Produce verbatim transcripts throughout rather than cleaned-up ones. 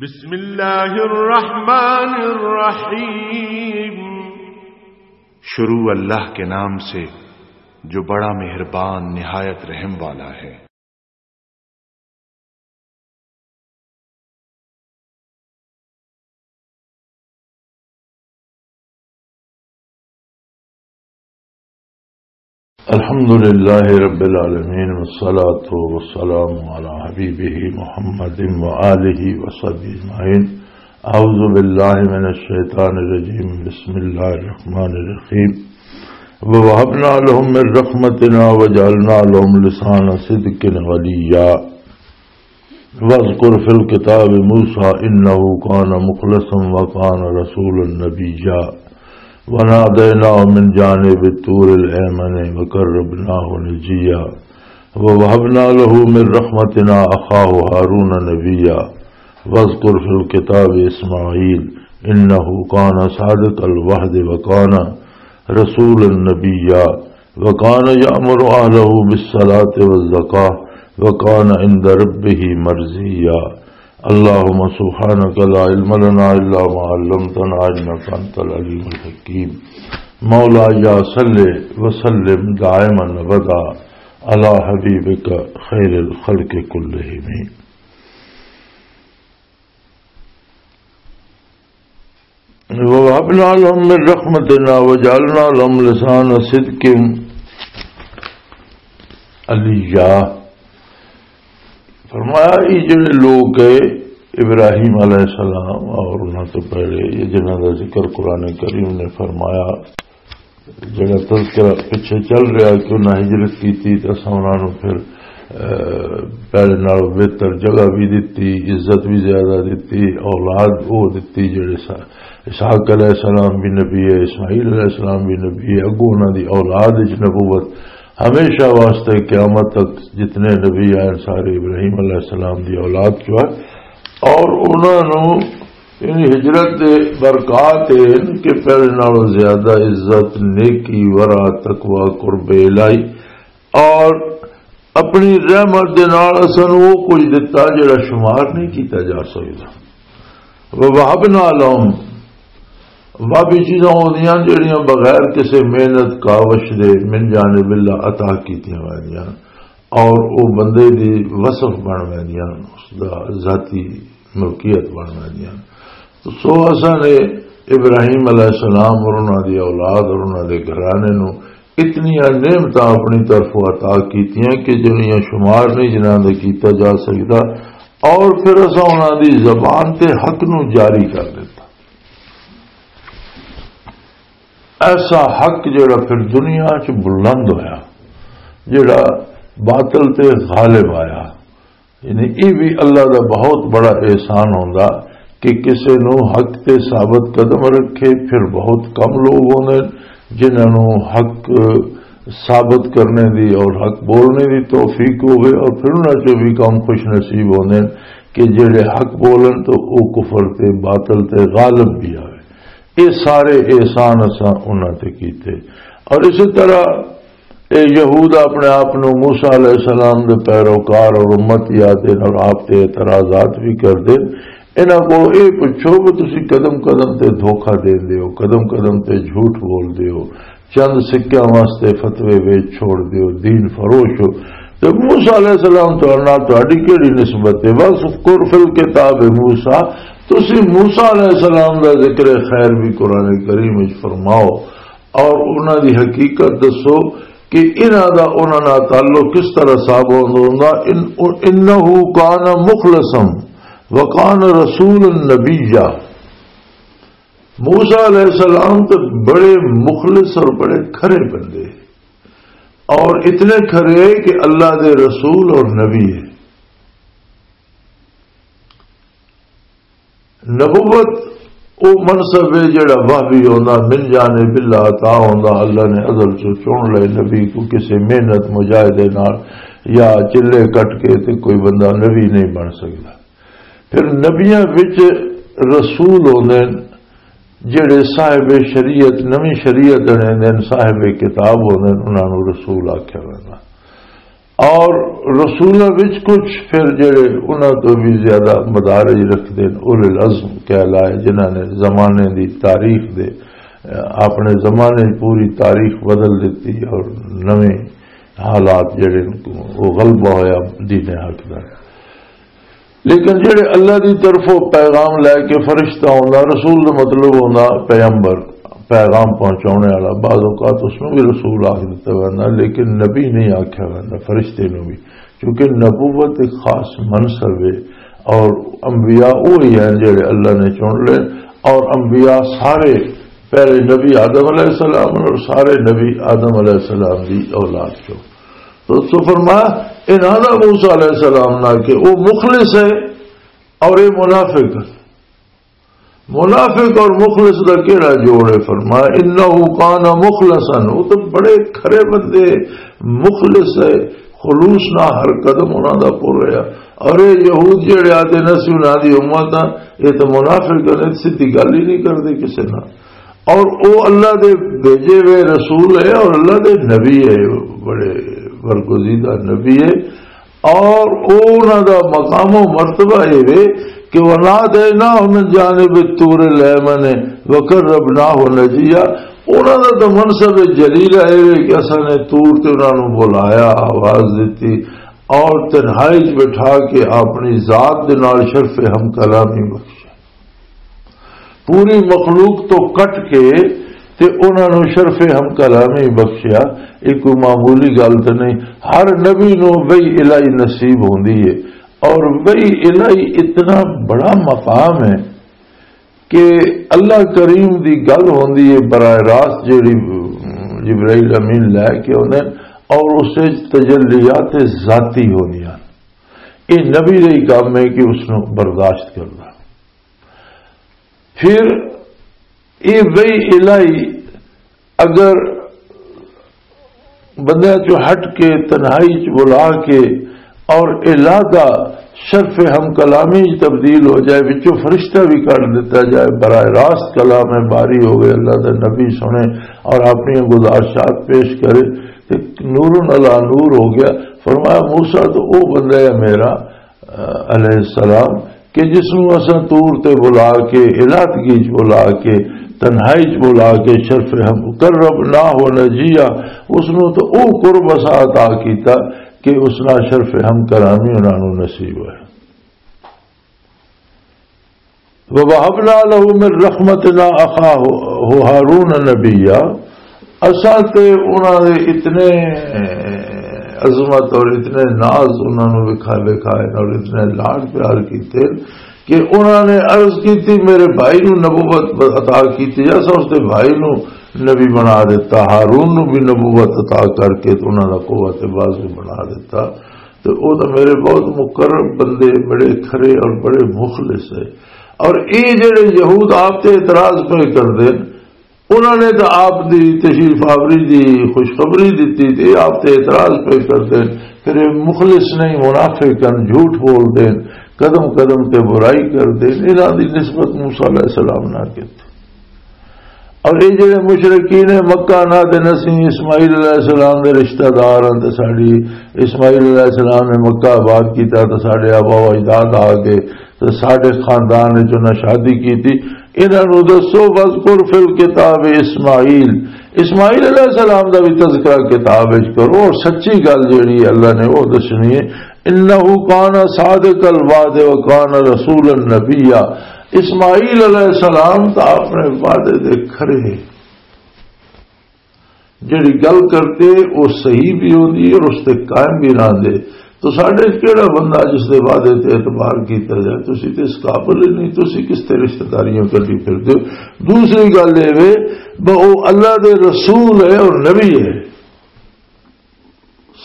بسم اللہ الرحمن الرحیم۔ شروع اللہ کے نام سے جو بڑا مہربان نہایت رحم والا ہے۔ الحمد لله رب العالمين، والصلاة والسلام على حبيبه محمد وآله وصحبه أجمعين. أعوذ بالله من الشيطان الرجيم. بسم الله الرحمن الرحيم. ووهبنا لهم من رحمتنا وجعلنا لهم لسان صدق عليا. واذكر في الكتاب موسى إنه كان مخلصا وكان رسولا نبيا. وناديناه من جانب الطور الأيمن وقربناه نجيا. ووهبنا له من رحمتنا أخاه هارون نبيا. واذكر في الكتاب إسماعيل إنه كان صادق الوعد وكان رسولا نبيا. وكان يأمر أهله بالصلاة والزكاة وكان عند ربه مرضيا. اللهم سبحانك لا علم لنا إلا ما علمتنا إنك أنت العليم الحكيم. مولاي صل وسلم دائما أبدا على حبيبك خير الخلق كلهم. وَوَهَبْنَا لَهُم مِّن رَّحْمَتِنَا وَجَعَلْنَا لَهُمْ لِسَانَ صِدْقٍ عَلِيًّا۔ فرمایا، یہ جڑے لوگ گئے ابراہیم علیہ السلام اور انہاں تو پہلے، یہ جنہاں دا ذکر قرآن کریم نے فرمایا، جڑا تذکرہ پچھے چل رہا کہ انہاں ہجرت کیتی تے اساں انہاں نوں پھر، اے، پہلے نال بہتر جگہ بھی دتی، عزت بھی زیادہ دتی، اولاد وہ دتی۔ جڑے سا-، اسحاق علیہ السلام بھی نبی ہے، اسماعیل علیہ السلام بھی نبی ہے، اگوں انہاں دی اولاد وچ نبوت ہمیشہ واسطے قیامت تک جتنے نبی آئے سارے ابراہیم علیہ السلام دی اولاد چوں ہے۔ اور انہاں نوں یعنی ہجرت دے برکات اے ہن کہ پہلے نالوں زیادہ عزت، نیکی، ورع، تقوی، قرب الہی اور اپنی رحمت دے نال اساں نوں وہ کچھ دتا جڑا شمار نہیں کیتا جا سکدا۔ وَوَهَبْنَا لَهُمْ، وہ بھی چیزاں ہوندیاں جڑیاں بغیر کسے محنت کاوش دے من جانب اللہ عطا کیتیاں ویندیاں، اور او بندے دی وصف بن ویندیاں، اس دا ذاتی ملکیت بن ویندیاں۔ تو سو اساں نے ابراہیم علیہ السلام اور انہاں دی اولاد اور انہاں دے گھرانے نوں اتنیاں نعمتاں اپنی طرفوں عطا کیتیاں کہ جنہاں شمار نہیں جنہاں دے کیتا جا سکدا، اور پھر اساں انہاں دی زبان تے حق نوں جاری کر دتا۔ ایسا حق جڑا پھر دنیا چ بلند ہویا، جڑا باطل تے غالب آیا۔ یعنی یہ بھی اللہ دا بہت بڑا احسان ہوندا کہ کسے نو حق تے ثابت قدم رکھے۔ پھر بہت کم لوگ ہوندے جنہاں نو حق ثابت کرنے دی اور حق بولنے دی توفیق ہوئے، اور پھر انہاں چوں بھی کم خوش نصیب ہوندے کہ جڑے حق بولن تو او کفر تے باطل تے غالب بھی آوے۔ یہ سارے احسان اساں انہاں تے کیتے۔ اور اسی طرح اے یہود اپنے آپ نو موسیٰ علیہ السلام دے پیروکار اور امت یاد دے اور آپ تے اعتراضات بھی کر دے۔ انہاں کو اے پچھو کہ تسی قدم قدم تے دھوکہ دین دے ہو، قدم قدم تے جھوٹ بول دے ہو، چند سکیاں واسطے فتوے ویچ چھوڑ دے ہو، دین فروش ہو۔ تے موسیٰ علیہ السلام تو نال تہاڈی کیڑی نسبت ہے؟ وَاذْكُرْ فِي الْكِتَابِ مُوسَىٰ، تسی موسیٰ علیہ السلام دا ذکر خیر بھی قرآن کریم وچ فرماؤ اور انہاں دی حقیقت دسو کہ انہاں دا انہاں نال تعلق کس طرح ثابت ہوندا۔ ان-، انہ کان مخلصا وکان رسولا نبیا۔ موسیٰ علیہ السلام تے بڑے مخلص اور بڑے کھرے بندے، اور اتنے کھرے کہ اللہ دے رسول اور نبی ہے۔ نبوت او منصب ہے جڑا وحی ہوندا، من جانب اللہ عطا ہوندا، اللہ نے ازل چوں چن لے نبی کو کسے محنت مجاہدے نال یا چلے کٹ کے تے کوئی بندہ نبی نہیں بن سکدا۔ پھر نبیاں وچ رسول ہوندے نے، جڑے صاحب شریعت، نویں شریعت انے دے نے، صاحب کتاب ہوندے نے، انہاں نوں رسول آکھیا ویندا۔ اور رسولاں وچ کچھ پھر جڑے انہاں تو بھی زیادہ مدارج رکھدے نے، اولے العزم کہلائے، جنہاں نے زمانے دی تاریخ دے، اپنے زمانے دی پوری تاریخ بدل دتی اور نویں حالات جڑے نے، وہ غلبہ ہویا دین حق دا۔ لیکن جڑے اللہ دی طرفوں پیغام لے کے فرشتہ ہوندا، رسول دا مطلب ہوندا پیغمبر، پیغام پہنچانے والا۔ بعض اوقات اس نوں بھی رسول آکھ دتا ویندا، لیکن نبی نہیں آکھیا ویندا فرشتے نوں بھی، کیونکہ نبوت ایک خاص منصب ہے، اور انبیاء وہی ہیں جڑے اللہ نے چن لے، اور انبیاء سارے، پہلے نبی آدم علیہ السلام اور سارے نبی آدم علیہ السلام دی اولاد چوں۔ تو اس فرمایا، انہاں دا موسیٰ علیہ السلام نہ کہ وہ مخلص ہے اور یہ منافق۔ منافق اور مخلص دا کیڑا جوڑ ہے؟ فرمایا، انہ کان مخلصا، وہ تو بڑے کھرے بندے، مخلص ہے، خلوص نہ ہر قدم انہاں دا پر رہا۔ اور یہ یہود جڑے آتے نہ سی انہاں دی امت آ، یہ تو منافق نے، سیدھی گل ہی نہیں کردے کسے نال۔ اور او اللہ دے بھیجے ہوئے رسول ہے اور اللہ دے نبی ہے، بڑے برگزیدہ نبی ہے۔ اور او انہاں دا مقام و مرتبہ اے وے کہ وَنَادَيْنَاهُ مِن جَانِبِ الطُّورِ الْأَيْمَنِ وَقَرَّبْنَاهُ نَجِيًّا۔ انہاں دا تو منصب جلیل اے وے کہ اساں نے طور تے انہاں نوں بلایا، آواز دتی، اور تنہائی چ بٹھا کے اپنی ذات دے نال شرف ہم کلامی بخشیا۔ پوری مخلوق تو کٹ کے تے انہاں نوں شرف ہم کلامی بخشیا۔ یہ کوئی معمولی گل تے نہیں، ہر نبی نوں وحی الہی نصیب ہوندی ہے، اور وحی الہی اتنا بڑا مقام ہے کہ اللہ کریم دی گل ہوندی ہے براہ راست، جیڑی جبرائیل امین لے کے آندے، اور اس وچ تجلیات ذاتی ہوندیاں۔ یہ نبی دا ہی کام ہے کہ اس نوں برداشت کرنا۔ پھر یہ وحی الہی اگر بندیاں چوں ہٹ کے، تنہائی چ بلا کے اور الہ دا شرف ہم کلامی چ تبدیل ہو جائے، وچوں فرشتہ بھی کڈ دتا جائے، براہ راست کلام باری ہوئے، اللہ دا نبی سنے اور اپنی گزارشات پیش کرے، تے نور علی نور ہو گیا۔ فرمایا، موسیٰ تو او بندہ ہے میرا، علیہ السلام، کہ جس نوں اساں طور تے بلا کے، الہدگی چ بلا کے، تنہائی چ بلا کے، شرف ہم قربناہ نجیا، اس نوں تو او قرب اساں عطا کیتا کہ اس نال شرف ہم کلامی انہاں نوں نصیب ہویا۔ وَوَهَبْنَا لَهُ مِن رَّحْمَتِنَا أَخَاهُ هَارُونَ نَبِيًّا۔ اساں تے انہاں دے اتنے عظمت اور اتنے ناز انہاں نوں وکھا، وکھائے اور اتنے لاڈ پیار کیتے کہ انہاں نے عرض کیتی، میرے بھائی نوں نبوت عطا کیتی جا۔ اساں اس دے بھائی نوں نبی بنا دیتا، ہارون نوں بھی نبوت عطا کر کے تے انہاں دا قوت بازو بنا دیتا۔ تے او تاں میرے بہت مقرب بندے، بڑے کھرے اور بڑے مخلص ہے۔ اور اے جڑے یہود آپ تے اعتراض پہ کردے، انہاں نے تاں آپ دی تشریف آوری دی خوشخبری دتی تے آپ تے اعتراض پہ کردے۔ پھر اے مخلص نہیں، منافق ہن، جھوٹ بول دین، قدم قدم تے برائی کردے۔ انہاں دی نسبت موسیٰ علیہ السلام نہ کیتی۔ اور یہ جڑے مشرکین مکہ نہ دے نسی اسماعیل علیہ السلام دے رشتہ دار ہیں، تے ساڈی اسماعیل علیہ السلام نے مکہ آباد کیتا، تے ساڈے آبا و اجداد آ گئے، تے ساڈے خاندان وچ انہاں شادی کیتی۔ انہاں نوں دسو، "وذکر فی الکتاب اسماعیل"، اسماعیل علیہ السلام دا بھی تذکرہ کتاب وچ کرو، اور سچی گل جڑی اللہ نے وہ دسنی ہے، "انہ کان صادق الوعد و کان رسولا نبیا"۔ اسماعیل علیہ السلام تو اپنے وعدے دے کھرے، جڑی گل کرتے وہ صحیح بھی ہوندی اور اس تے قائم بھی رہندے۔ تو ساڈے کیڑا بندہ جس دے وعدے تے اعتبار کیتا جائے؟ تسی تے اس قابل ہی نہیں، تسی کس تے رشتہ داریاں کردی پھردے ہو؟ دوسری گل اے وے، ب-، او اللہ دے رسول ہے اور نبی ہے،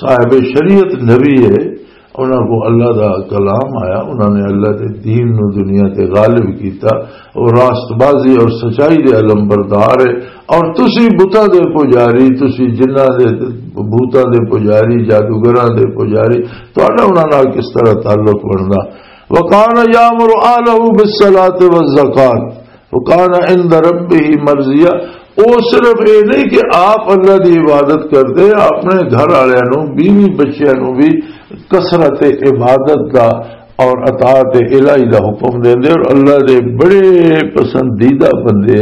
صاحب شریعت نبی ہے، انہاں کو اللہ دا کلام آیا، انہاں نے اللہ دے دین نو دنیا تے غالب کیتا، اور راست بازی اور سچائی دے علم بردار ہے۔ اور تسی بتاں دے پجاری، تسی جنہاں دے، بھوتاں دے پجاری، جادوگراں دے پجاری، تہاڈا انہاں نال کس طرح تعلق بندا؟ وکان یامر اہلہ بالصلاۃ والزکات وکان عند ربہ مرضیا۔ او صرف اے نہیں کہ آپ اللہ دی عبادت کردے، اپنے گھر والےاں نوں، بیوی بچیاں نوں بھی کثرت عبادت دا اور اطاعت الہی دا حکم دیندے اور اللہ دے بڑے پسندیدہ بندے۔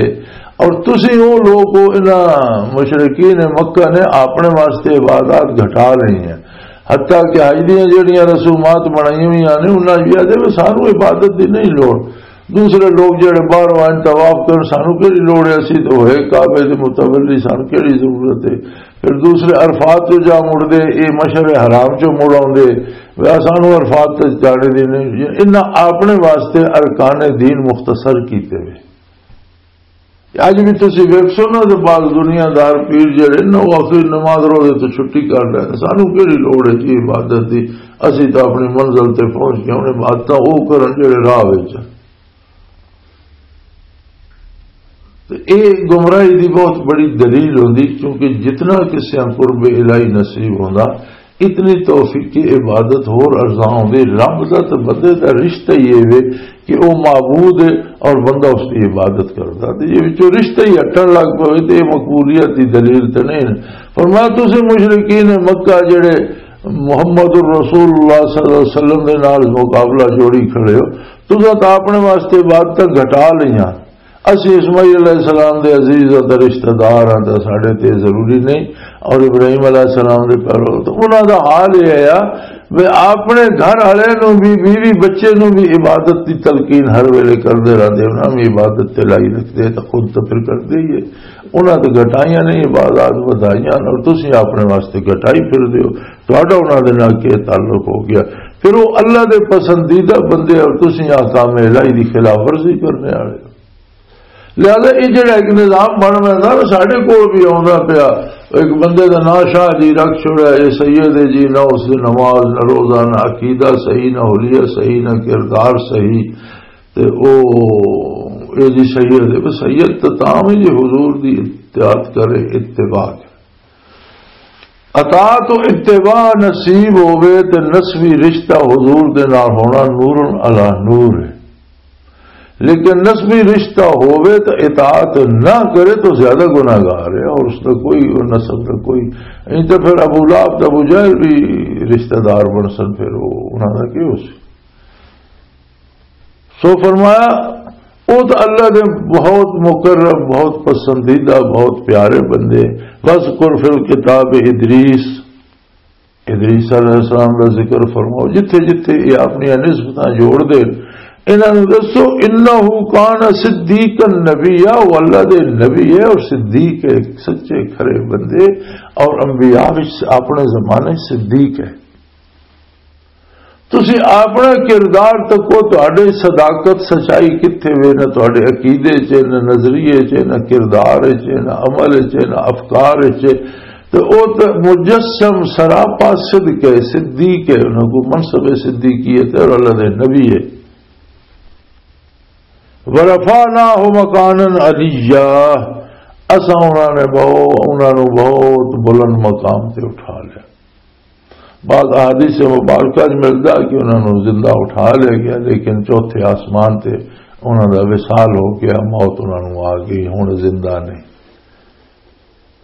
اور تسی او لوگ ہو، انہاں مشرکین مکہ نے اپنے واسطے عبادات گھٹا لئی ہیں، حتیٰ کہ حج دیاں جڑیاں رسومات بنائیاں ہوئیاں نے، انہاں یہ آدھے بھی سانو عبادت دی نہیں لوڑ، دوسرے لوگ جڑے باہروں آئے طواف کرن، سانو کیڑی لوڑ ہے؟ اسی تو ہوئے کعبے دے متولی، سانو کیڑی ضرورت ہے؟ پھر دوسرے عرفات تو جا مڑدے، اے مشعر حرام چوں مڑ آوندے، وے سانو عرفات تے جانے دی نہیں۔ انہاں اپنے واسطے ارکان دین مختصر کیتے وے۔ اج بھی تسی ویکھسو نا تے بعض دنیا دار پیر جڑے نا، وہ آخری نماز روزے تو چھٹی کر لے، سانو کیڑی لوڑ ہے جی عبادت دی؟ اسی تو اپنی منزل تے پہنچ گئے، انہیں عبادتاں وہ کرن جڑے راہ وچ۔ تے اے گمراہی دی بہت بڑی دلیل ہوندی، کیونکہ جتنا کسے قرب الہی نصیب ہوندا، اتنی توفیق عبادت ہور ارزاں ہوندی۔ رب دا تے بندے دا رشتہ ہی اے وے کہ او معبود ہے اور بندہ اس دی عبادت کردا۔ تے جے وچوں رشتہ ہی ہٹن لگ پوے تے اے مقبولیت دی دلیل تے نہیں۔ فرمایا، تسی مشرکین مکہ جڑے محمد الرسول اللہ صلی اللہ علیہ وسلم دے نال مقابلہ جوڑی کھڑے ہو، تساں تاں اپنے واسطے عبادتاں گھٹا لئیاں۔ اسی اسماعیل علیہ السلام دے عزیز اور رشتہ دار ہاں، تاں ساڈے تے ضروری نہیں۔ اور ابراہیم علیہ السلام دے پہلو تو انہاں دا حال یہ ہے بھی اپنے گھر والے نوں بھی، بیوی بچے نوں بھی عبادت دی تلقین ہر ویلے کردے رہندے، انہاں بھی عبادت تے لائی رکھدے، تاں خود تو پھر کردے ہی ہے۔ انہاں تے گھٹائیاں نہیں، عبادات ودھائیاں، اور تسی اپنے واسطے گھٹائی پھر دیو۔ تہاڈا انہاں دے نال کیا تعلق ہو گیا؟ پھر وہ اللہ دے پسندیدہ بندے اور تسی احکام الہی دی خلاف ورزی کرنے والے ہو۔ لہذا یہ جڑا ایک نظام بن رہا نا، ساڈے کول بھی آوندا پیا۔ ایک بندے دا نام شاہ جی رکھ چھوڑا، یہ سید ہے جی، نہ اس دے نماز، نہ روزہ، نہ عقیدہ صحیح، نہ حلیہ صحیح، نہ کردار صحیح۔ تے او، اے جی سید ہے، بس سید تے تاں وی جے حضور دی اطاعت کرے، اتباع کرے۔ اطاعت و اتباع نصیب ہووے تے نسبی رشتہ حضور دے نال ہونا نور علی نور ہے۔ لیکن نسبی رشتہ ہووے تے اطاعت نہ کرے تو زیادہ گناہگار ہے، اور اس دا کوئی، اور نسب دا کوئی، نہیں تو پھر ابو لہب تے ابو جہل بھی رشتہ دار بن سن، پھر وہ انہاں دا کی ہو سی؟ سو فرمایا، او تو اللہ دے بہت مقرب، بہت پسندیدہ، بہت پیارے بندے۔ وَاذْكُرْ فِي الْكِتَابِ إِدْرِيسَ، ادریس علیہ السلام دا ذکر فرماؤ۔ جتھے جتھے یہ اپنی نسبتاں جوڑ دے، انہاں نوں دسو، "إِنَّهُ كَانَ صِدِّيقًا نَبِيًّا"، وہ اللہ دے نبی ہے اور صدیق ہے، سچے کھرے بندے، اور انبیاء وچ اپنے زمانے صدیق ہے۔ تسی اپنا کردار تکو، تہاڈے صداقت، سچائی کتھے وے؟ نہ تہاڈے عقیدے چ، نہ نظریے چ، نہ کردار چ، نہ عمل چ، نہ افکار چ۔ تے او تے مجسم سراپا صدق ہے، صدیق ہے، انہاں کو منصب صدیقیت ہے اور اللہ دے نبی ہے۔ "وَرَفَعْنَاهُ مَكَانًا عَلِيًّا"، اساں انہاں نے بہو-، انہاں نوں بہت بلند مقام تے اٹھا لیا۔ بعض احادیث مبارکہ وچ ملدا کہ انہاں نوں زندہ اٹھا لیا گیا، لیکن چوتھے آسمان تے انہاں دا وصال ہو گیا، موت انہاں نوں آ گئی، ہن زندہ نہیں۔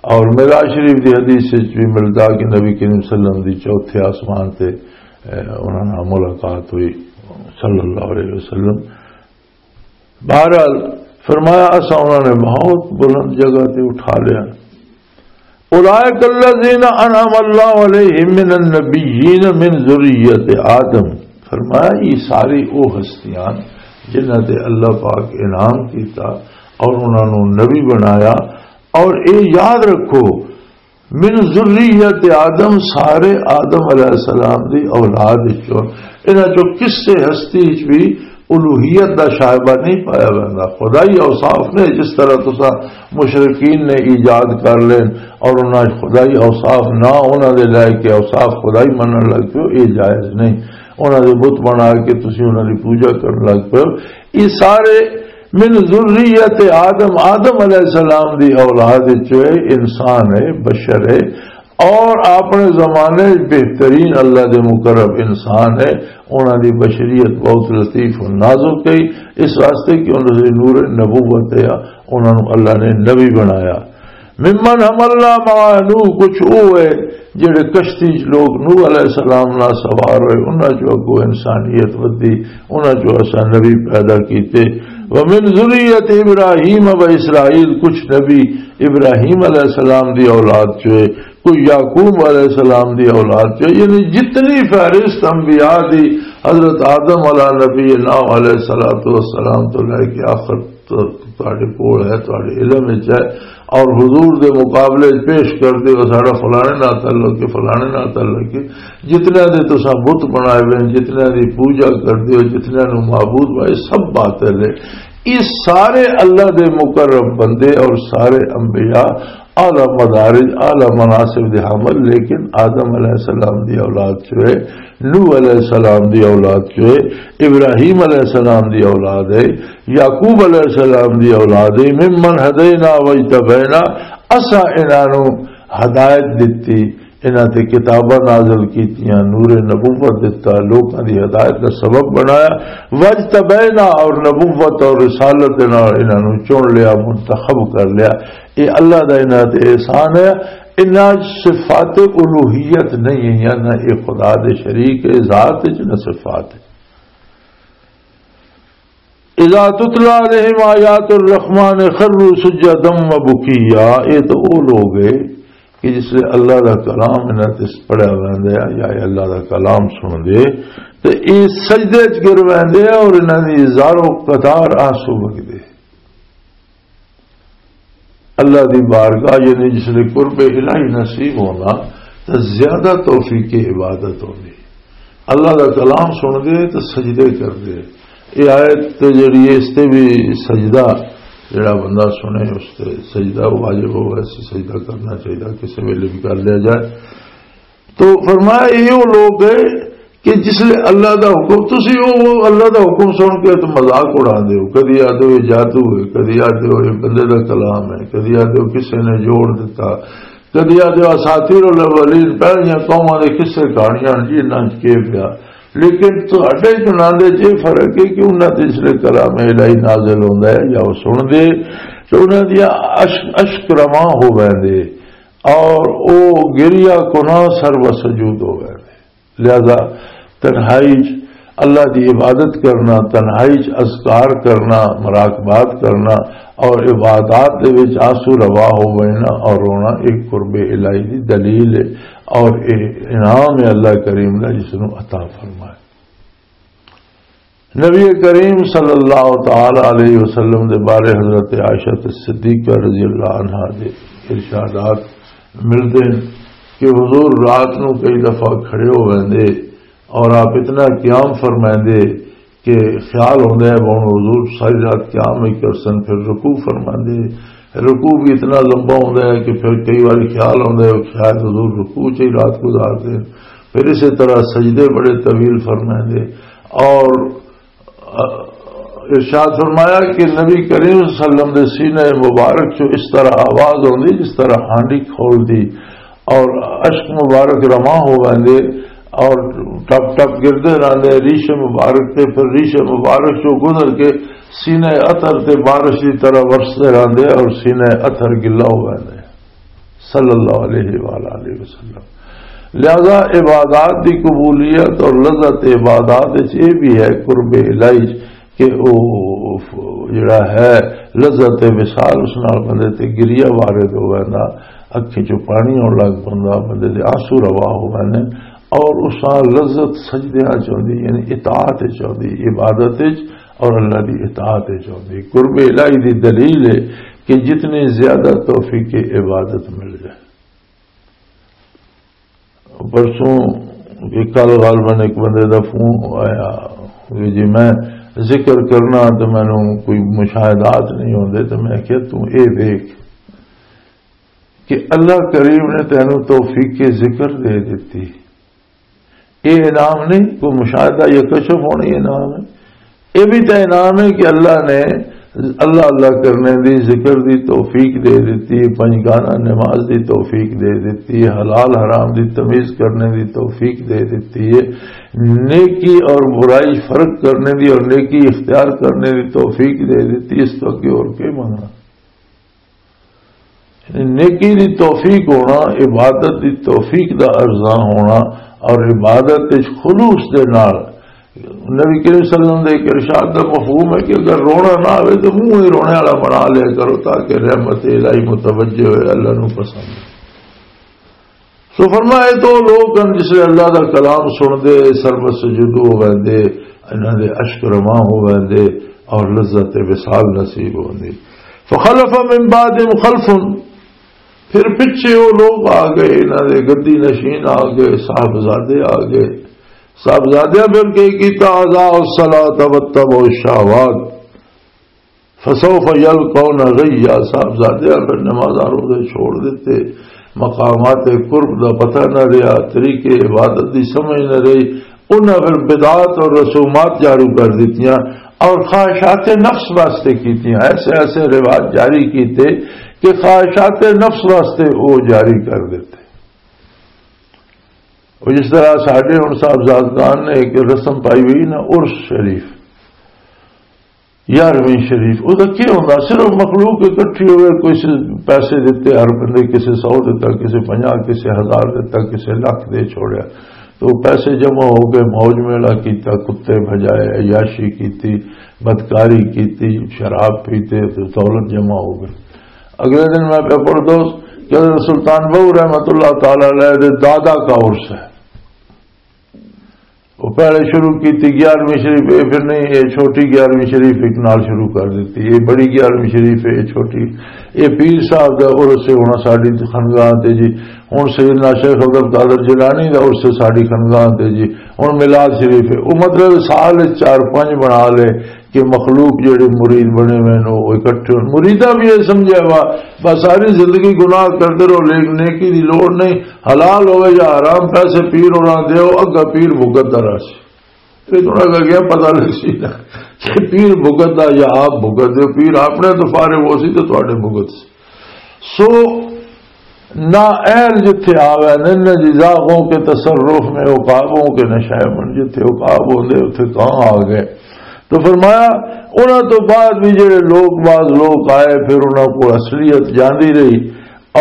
اور معراج شریف دی حدیث وچ بھی ملدا کہ نبی کریم صلی اللہ علیہ وسلم دی چوتھے آسمان تے، اے، انہاں نال ملاقات ہوئی، صلی اللہ علیہ وسلم۔ بہرحال، فرمایا، اساں انہاں نے بہت بلند جگہ تے اٹھا لیا۔ "أُولَٰئِكَ الَّذِينَ أَنْعَمَ اللَّهُ عَلَيْهِمْ مِنَ النَّبِيِّينَ مِنْ ذُرِّيَّةِ آدَمَ"، فرمایا، یہ ساری وہ ہستیاں جنہاں تے اللہ پاک انعام کیتا اور انہاں نوں نبی بنایا۔ اور اے یاد رکھو، من ذریت آدم، سارے آدم علیہ السلام دی اولاد وچوں، انہاں چوں کسے ہستی وچ بھی الوہیت دا شائبہ نہیں پایا ویندا۔ خدائی اوصاف نے، جس طرح تساں مشرکین نے ایجاد کر لین اور انہاں خدائی اوصاف نہ انہاں دے لے کے اوصاف خدائی منن لگ پیو، یہ جائز نہیں۔ انہاں دے بت بنا کے تسی انہاں دی پوجا کرن لگ پیو۔ یہ سارے من ذریت آدم، آدم علیہ السلام دی اولاد وچ انسان ہے، بشر ہے، اور اپنے زمانے وچ بہترین اللہ دے مقرب انسان ہے۔ انہاں دی بشریت بہت لطیف و نازک ہے، اس واسطے کہ انہاں دے نور نبوت ہے، انہاں نوں اللہ نے نبی بنایا۔ ممن حملنا مع نوح، کچھ او ہے جڑے کشتی چ لوگ نوح علیہ السلام نال سوار ہوئے، انہاں چوں اگوں انسانیت ودی، انہاں چوں اساں نبی پیدا کیتے۔ ومن ذریت ابراہیم و اسرائیل، کچھ نبی ابراہیم علیہ السلام دی اولاد چوئے، کوئی یعقوب علیہ السلام دی اولاد چوئے، یعنی جتنی فہرست انبیاء دی، حضرت آدم علیہ نبی نوح علیہ الصلوۃ والسلام تو لے کے آخر تو تہاڈے کول ہے، تہاڈے علم وچ ہے، اور حضور دے مقابلے وچ پیش کر دیو، ساڈا فلانے نال تعلق ہے، فلانے نال تعلق ہے۔ جتنیاں دے تساں بت بنائے ہوئے ہیں، جتنیاں دی پوجا کر دیو، جتنیاں نوں معبود بنائے، سب باطل ہے۔ یہ سارے اللہ دے مقرب بندے اور سارے انبیاء اعلیٰ مدارج، اعلیٰ مناصب دے حامل، لیکن آدم علیہ السلام دی اولاد چوئے، نوح علیہ السلام دی اولاد چوئے، ابراہیم علیہ السلام دی اولاد ہے، یعقوب علیہ السلام دی اولاد ہے۔ ممن ہدینا واجتبینا، اساں انہاں نوں ہدایت دتی، انہاں تے کتاباں نازل کیتیاں، نور نبوت دتا، لوکاں دی ہدایت دا سبب بنایا۔ واجتبینا، اور نبوت اور رسالت دے نال انہاں نوں چن لیا، منتخب کر لیا۔ یہ اللہ دا انہاں تے احسان ہے۔ انہاں صفات الوہیت نہیں ہے، نہ یہ خدا دے شریک ہے ذات وچ، نہ صفات ہے۔ اذا تتلی علیہم آیات الرحمن خروا سجدا و بکیا، یہ تو وہ لوگ ہے کہ جس لئے اللہ دا کلام انہاں تے پڑھیا ویندا ہے یا اللہ دا کلام سن دے، تے یہ سجدے وچ گر ویندے اور انہاں دی ہزاروں قطار آنسو وگدے۔ اللہ دی بارگاہ، یعنی جس لئے قرب الہی نصیب ہونا، تے زیادہ توفیق عبادت ہوندی۔ اللہ دا کلام سن دے تے سجدے کر دے۔ یہ آیت تے جڑی ہے، اس تے بھی سجدہ، جڑا بندہ سنے، اس تے سجدہ واجب ہوگا، اس تے سجدہ کرنا چاہیے، کسی ویلے بھی کر لیا جائے۔ تو فرمایا، یہ وہ لوگ ہے کہ جس لئے اللہ دا حکم، تسی وہ، وہ اللہ دا حکم سن کے تو مذاق اڑا دیو، کدی آدھے ہو یہ جادو ہے، کدی آدھے ہو یہ بندے دا کلام ہے، کدی آدھے ہو کسے نے جوڑ دیتا، کدی آدھے ہو اساطیر الاولین، پہلیاں قوماں دے قصے کہانیاں جی انہاں چ کے پیا۔ لیکن تہاڈے چ انہاں دے چ یہ فرق ہے کہ انہاں تے جس لئے کلام الہی نازل ہوندا ہے یا وہ سن دے، تو انہاں دیاں اشک، اشک رواں ہو ویندے اور او گریا کناں سر و سجود ہو ویندے۔ لہذا تنہائی چ اللہ دی عبادت کرنا، تنہائی چ اذکار کرنا، مراقبات کرنا اور عبادات دے وچ آنسو روا ہو وینا اور رونا ایک قرب الہی دی دلیل ہے اور ایک انعام ہے اللہ کریم دا جس نوں عطا فرمائے۔ نبی کریم صلی اللہ تعالی علیہ وسلم دے بارے حضرت عائشہ صدیقہ رضی اللہ عنہا دے ارشادات ملدے ہیں کہ حضور رات نوں کئی دفعہ کھڑے ہو ویندے اور آپ اتنا قیام فرمائندے کہ خیال ہوندا ہے، ہن حضور ساری رات قیام ہی کرسن، پھر رکوع فرماندے۔ رکوع بھی اتنا لمبا ہوندا ہے کہ پھر کئی واری خیال ہوندا ہے کہ شاید حضور رکوع چ ہی رات گزار دین۔ پھر اسی طرح سجدے بڑے طویل فرماندے۔ اور ارشاد فرمایا کہ نبی کریم صلی اللہ علیہ وسلم دے سینے مبارک چوں اس طرح آواز ہوندی جس طرح ہانڈی کھول دی، اور اشک مبارک رواں ہو ویندے اور ٹپ ٹپ گردے رہندے ریش مبارک تے، پھر ریش مبارک چوں گزر کے سینے اطر تے بارش دی طرح ورسدے رہندے اور سینے اطر گلا ہو ویندے۔ صلی اللہ علیہ وآلہ وسلم۔ لہذا عبادات دی قبولیت اور لذت عبادات وچ یہ بھی ہے، قرب الہی وچ، کہ او جڑا ہے لذت وصال، اس نال بندے تے گریا وارد ہو ویندا، اکھیں چوں پانی آن لگ پوندا، بندے دے آنسو روا ہو ویندے، اور اس نال لذت سجدیاں چ ہوندی، یعنی اطاعت وچ ہوندی، عبادت وچ اور اللہ دی اطاعت وچ ہوندی۔ قرب الہی دی دلیل ہے کہ جتنی زیادہ توفیق عبادت مل جائے۔ پرسوں کہ کل غالباً ایک بندے دا فون آیا کہ جی میں ذکر کرنا تو مینوں کوئی مشاہدات نہیں ہوندے، تو میں کہیا تو اے دیکھ کہ اللہ کریم نے تینوں توفیق ذکر دے دتی۔ اے انعام نہیں، کوئی مشاہدہ یا کشف ہونا، یہ انعام ہے۔ یہ بھی تو انعام ہے کہ اللہ نے اللہ اللہ کرنے دی، ذکر دی توفیق دے دیتی ہے، پنج گانا نماز دی توفیق دے دیتی ہے، حلال حرام دی تمیز کرنے دی توفیق دے دیتی ہے، نیکی اور برائی فرق کرنے دی اور نیکی اختیار کرنے دی توفیق دے دیتی ہے۔ اس تو اگے اور کیا منگنا؟ نیکی دی توفیق ہونا، عبادت دی توفیق دا ارزاں ہونا، اور عبادت وچ خلوص دے نال۔ نبی کریم صلی اللہ علیہ وسلم دے ایک ارشاد دا مفہوم ہے کہ اگر رونا نہ آوے تو منہ ہی رونے والا بنا لیا کرو، تاکہ رحمت الہی متوجہ ہوئے، اللہ نو پسند۔ سو فرمایا، تو لوگ ہن جس لے اللہ دا کلام سن دے، سربت سجدو ہو ویندے، انہاں دے اشک رواں ہو ویندے اور لذت وصال نصیب ہوندی۔ فخلف من بعدهم خلف، پھر پچھے وہ لوگ آ گئے، انہاں دے گدی نشین آ گئے، صاحبزادے آ گئے۔ صاحبزادیاں پھر کی کیتا؟ اضاعوا الصلاۃ واتبعوا الشہوات فسوف یلقون غیا۔ صاحبزادیاں پھر نمازاں روزے چھوڑ دیتے، مقامات قرب دا پتہ نہ رہیا، طریقے عبادت دی سمجھ نہ رہی۔ انہاں پھر بدعات اور رسومات جاری کر دیتیاں اور خواہشات نفس واسطے کیتیاں، ایسے ایسے رواج جاری کیتے کہ خواہشات نفس واسطے وہ جاری کر دیتے۔ وہ جس طرح ساڈے ہن صاحبزادگان نے ایک رسم پائی ہوئی نا، عرس شریف، یارویں شریف، وہ تو کیا ہوندا؟ صرف مخلوق اکٹھی ہوئے، کوئی سے پیسے دیتے، ہر بندے کسے سو دیتا، کسے پنجاہ، کسے ہزار دیتا، کسے لاکھ دے چھوڑیا۔ تو پیسے جمع ہو گئے، موج میلہ کیتا، کتے بجائے، عیاشی کیتی، بدکاری کیتی، شراب پیتے، تو دولت جمع ہو گئی۔ اگلے دن میں پہ پڑھ دو کہ حضرت سلطان بہو رحمت اللہ تعالی علیہ دے دادا کا عرس ہے۔ وہ پہلے شروع کی تھی گیارہویں شریف، اے پھر نہیں، اے چھوٹی گیارہویں شریف ایک نال شروع کر دیتی، اے بڑی گیارہویں شریف ہے، اے چھوٹی، اے پیر صاحب دا عرس سے ہونا ساڈی خانقاہ تے جی، ہن سیدنا شیخ عبد القادر جیلانی دا عرس سے ساڈی خانقاہ تے جی، ہن میلاد شریف ہے۔ وہ مطلب سال چار پنج بنا لے کہ مخلوق جڑے مرید بنے ہوئے نے، وہ اکٹھے ہون۔ مریداں بھی یہ سمجھا ہوا، بس ساری زندگی گناہ کرتے رہو، لیکن نیکی دی لوڑ نہیں، حلال ہوئے یا حرام، پیسے پیر ہونا دیو، اگا پیر بھگت دا رہسی۔ تے تھوڑا جا گیا پتہ لگ سی نا کہ پیر بھگت دا یا آپ بھگت دے، پیر اپنے تو فارغ ہو سی تے تھوڑے بھگت سی۔ سو نا اہل جتھے آوے نے، نہ جزاغوں کے تصرف میں عقابوں کے نشائمن، جتھے عقاب ہوندے اتھے کہاں آ گئے۔ تو فرمایا، انہاں تو بعد بھی جڑے لوگ، بعض لوگ آئے، پھر انہاں کو اصلیت جاندی رہی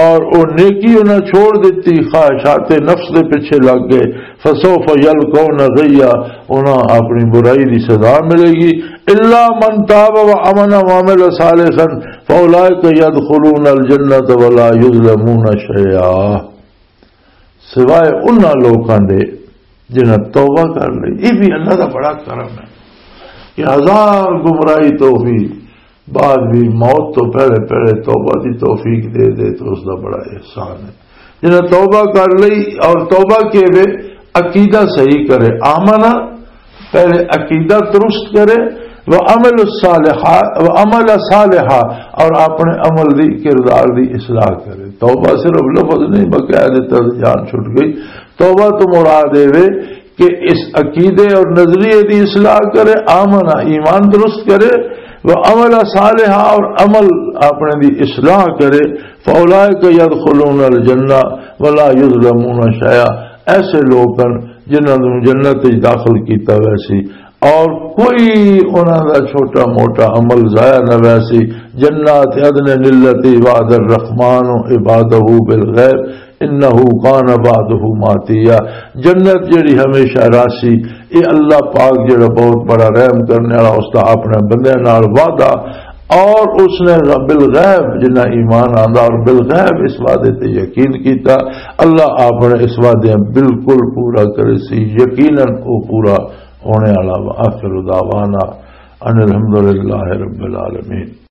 اور وہ نیکی انہاں چھوڑ دیتی، خواہشات نفس دے پیچھے لگ گئے۔ فسوف یلقون غیا، انہاں اپنی برائی دی سزا ملے گی۔ الا من تاب و امن و عمل صالحا فاولئک یدخلون الجنۃ ولا یظلمون شیئا۔ سوائے انہاں لوکاں دے جنہاں توبہ کر لئی۔ یہ بھی اللہ دا بڑا کرم ہے کہ ہزار گمراہی تو بھی بعد بھی موت تو پہلے پہلے توبہ دی توفیق دے دے تو اس دا بڑا احسان ہے۔ جنہاں توبہ کر لئی اور توبہ کے وے عقیدہ صحیح کرے، آمنا، پہلے عقیدہ درست کرے، وہ عمل الصالحہ، وہ عمل صالحہ، اور اپنے عمل دی، کردار دی اصلاح کرے۔ توبہ صرف لفظ نہیں، بقایا دے تحت جان چھٹ گئی۔ توبہ تو مراد اے وے کہ اس عقیدے اور نظریے دی اصلاح کرے، آمنا، ایمان درست کرے، وہ عمل صالحہ، اور عمل اپنے دی اصلاح کرے۔ فاولئک یدخلون الجنہ ولا یظلمون شیئا۔ ایسے لوگ ہیں جنہاں نوں جنت وچ داخل کیتا ویسی اور کوئی انہاں دا چھوٹا موٹا عمل ضائع نہ ویسی۔ جنات عدن التی وعد الرحمن عبادہ بالغیب انہ کان وعدہ ماتیا۔ جنت جڑی ہمیشہ راسی، اے اللہ پاک جڑا بہت بڑا رحم کرنے والا، اس دا اپنے بندیاں نال وعدہ، اور اس نے بالغیب، جنہاں ایمان آندا اور بالغیب اس وعدے تے یقین کیتا، اللہ اپنے اس وعدے بالکل پورا کرے سی، یقیناً وہ پورا ہونے والا۔ وآخر دعوانا ان الحمدللہ رب العالمین۔